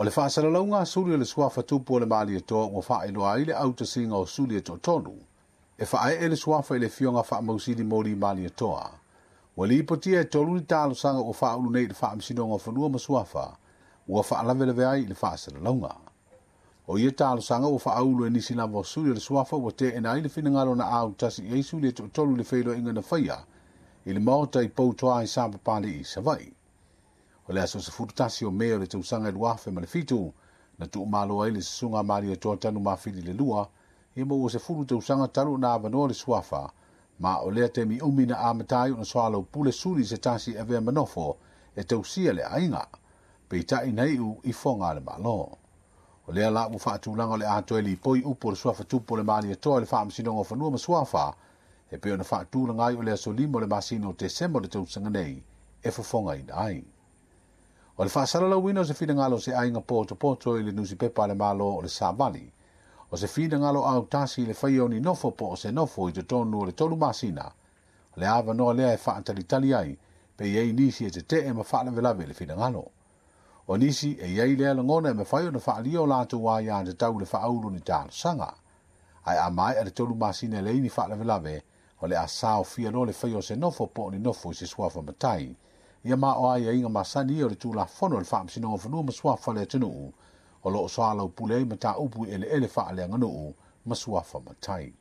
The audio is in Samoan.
O le faasalalauga a suli o le suafa tupu o le Malietoa ua faailoa ai le autasiga o suli e toatolu e faaee le suafa i le afioga faamausili Moli Malietoa. Ua lipotia e 3 ni talosaga ua faaulu nei i le Faamasinoga o Fanua ma Suafa ua faalavelave ai i le faasalalauga. O ia talosaga ua faaulu e nisi lava o suli o le suafa ua teena ai le finagalo na autasi i ai suli e toatolu i le feiloaiga na faia i le maota i Poutoa i Sapapalii i Savaii. O le aso 11 o Me o le tausaga 2007 na tuumalo ai le susuga Malietoa Tanumafili le lua ia ma ua 10 tausaga talu na avanoa le suafa ma o lea taimi umi na amata ai ona soalaupule suli se tasi e avea manofo e tausia le aiga peitai na iu i foga a le Malo. O lea la ua faatulaga o le atoa e lipoi upu o le suafa tupu o le Malietoa i le Faamasinoga o Fanua ma Suafa e pei ona faatulaga ai o le aso 5 o le masina o Tesema o le tausaga nei e fofogaina ai. O le faasalalauina o se finagalo o se aiga potopoto i le nusipepa a le Malo o le Savali. O se finagalo autasi i le faia o ni nofo po o se nofo i totonu o le 3 masina. O le avanoa lea e faatalitali ai pe i ai nisi e tetee ma faalavelave i le finagalo. O nisi e i ai lea lagona e mafai ona faalia o latou aia tatau le faaulu ni talosaga. Ae a maea le 3 masina e leai ni faalavelave, o le a saofia loa le faia o se nofo po o ni nofo i se suafa matai. Ia ma o aiaiga masani ia o le Tulafono o le Faamasinoga o Fanua ma Suafa le atunuu o loo soalaupule ai mataupu i eleele faaleaganuu ma suafa matai.